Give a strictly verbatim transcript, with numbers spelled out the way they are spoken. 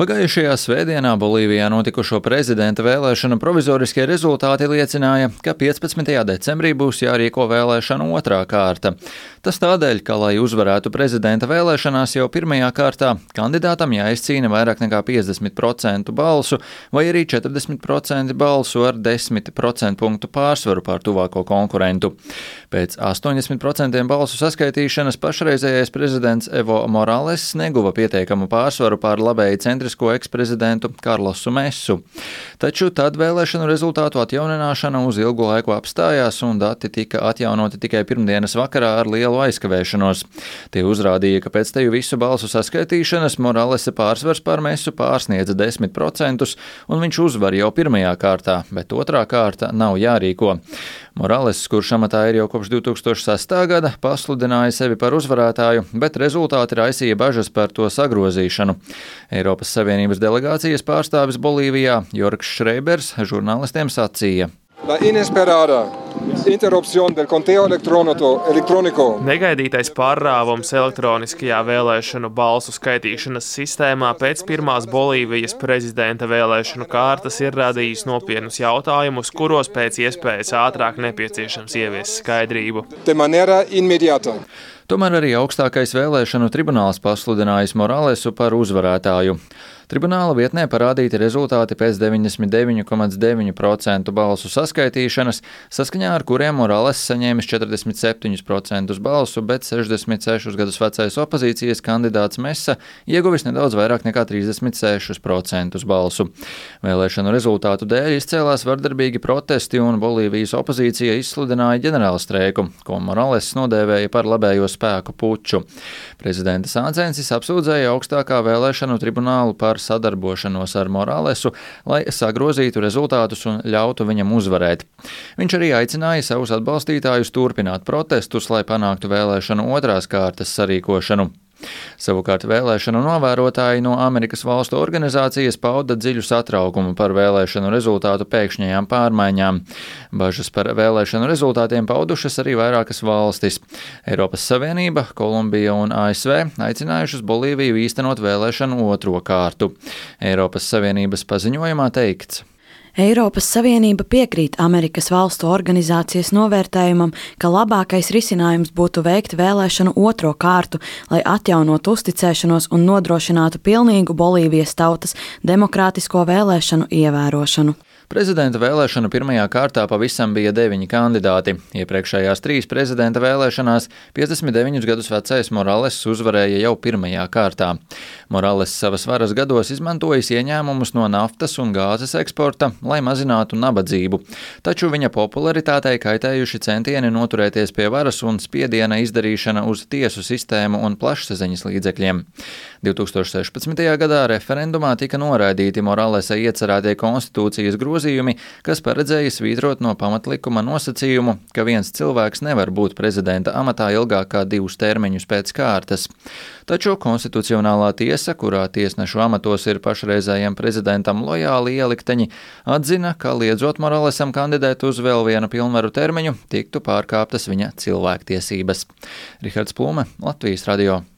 Pagājušajā svētdienā Bolīvijā notikušo prezidenta vēlēšanu provizoriskie rezultāti liecināja, ka piecpadsmitajā decembrī būs jārīko vēlēšanu otrā kārta. Tas tādēļ, ka, lai uzvarētu prezidenta vēlēšanās jau pirmajā kārtā, kandidātam jāizcīna vairāk nekā piecdesmit procenti balsu vai arī četrdesmit procenti balsu ar desmit procentu punktu pārsvaru pār tuvāko konkurentu. Pēc astoņdesmit procentiem balsu saskaitīšanas pašreizējais prezidents Evo Morales neguva pietiekamu pārsvaru pār labēji centrisko eksprezidentu Karlosu Mesu. Taču tad vēlēšanu rezultātu atjaunināšana uz ilgu laiku apstājās un dati tika atjaunoti tikai pirmdienas vakarā ar lielu aizkavēšanos. Tie uzrādīja, ka pēc teju visu balsu saskaitīšanas Moralesa pārsvars pār Mesu pārsniedza desmit procentus un viņš uzvar jau pirmajā kārtā, bet otrā kārta nav jārīko. Morales, kurš amatā ir jau kopš divi tūkstoši sestā gada, pasludināja sevi par uzvarētāju, bet rezultāti raisīja bažas par to sagrozīšanu. Eiropas Savienības delegācijas pārstāvis Bolīvijā Jorgs Šreibers žurnālistiem sacīja. La inesperada interrupción del conteo electrónico. Negaidītais pārrāvums elektroniskajā vēlēšanu balsu skaitīšanas sistēmā pēc pirmās Bolīvijas prezidenta vēlēšanu kārtas ir radījis nopietnus jautājumus, kuros pēc iespējas ātrāk nepieciešams ieviest skaidrību. De manera inmediata. Tomēr arī augstākais vēlēšanu tribunāls pasludinājis Moralesu par uzvarētāju. Tribunāla vietnē parādīti rezultāti pēc deviņdesmit deviņi komats deviņi procenti balsu saskaitīšanas, saskaņā ar kuriem Morales saņēmis četrdesmit septiņus procentus balsu, bet sešdesmit sešus gadus vecais opozīcijas kandidāts Mesa ieguvis nedaudz vairāk nekā trīsdesmit sešus procentus balsu. Vēlēšanu rezultātu dēļ izcēlās vardarbīgi protesti un Bolīvijas opozīcija izsludināja ģenerālstreiku, ko Morales nodēvēja par labējo spēku puču. Prezidenta Sancensis apsūdzēja augstākā vēlēšanu tribunālu par sadarbošanos ar Moralesu, lai sagrozītu rezultātus un ļautu viņam uzvarēt. Viņš arī aicināja savus atbalstītājus turpināt protestus, lai panāktu vēlēšanu otrās kārtas sarīkošanu. Savukārt vēlēšanu novērotāji no Amerikas valstu organizācijas pauda dziļu satraukumu par vēlēšanu rezultātu pēkšņajām pārmaiņām. Bažas par vēlēšanu rezultātiem paudušas arī vairākas valstis. Eiropas Savienība, Kolumbija un A S V aicinājušas Bolīviju īstenot vēlēšanu otro kārtu. Eiropas Savienības paziņojumā teikts. Eiropas Savienība piekrīt Amerikas valstu organizācijas novērtējumam, ka labākais risinājums būtu veikt vēlēšanu otro kārtu, lai atjaunotu uzticēšanos un nodrošinātu pilnīgu Bolīvijas tautas demokrātisko vēlēšanu ievērošanu. Prezidenta vēlēšanu pirmajā kārtā pavisam bija deviņi kandidāti. Iepriekšējās trīs prezidenta vēlēšanās piecdesmit deviņus gadus vecais Morales uzvarēja jau pirmajā kārtā. Morales savas varas gados izmantojis ieņēmumus no naftas un gāzes eksporta, lai mazinātu nabadzību. Taču viņa popularitātei kaitējuši centieni noturēties pie varas un spiediena izdarīšana uz tiesu sistēmu un plašsaziņas līdzekļiem. divi tūkstoši sešpadsmitajā gadā referendumā tika noraidīti Moralesa iecerētie konstitūcijas grozījumi, kas paredzēja svītrot no pamatlikuma nosacījumu, ka viens cilvēks nevar būt prezidenta amatā ilgāk kā divus termiņus pēc kārtas. Taču konstitucionālā tiesa, kurā tiesnešu amatos ir pašreizējiem prezidentam lojāli ielikteņi, atzina, ka liedzot Moralesam kandidēt uz vēl vienu pilnvaru termiņu, tiktu pārkāptas viņa cilvēktiesības. Rihards Plume, Latvijas radio.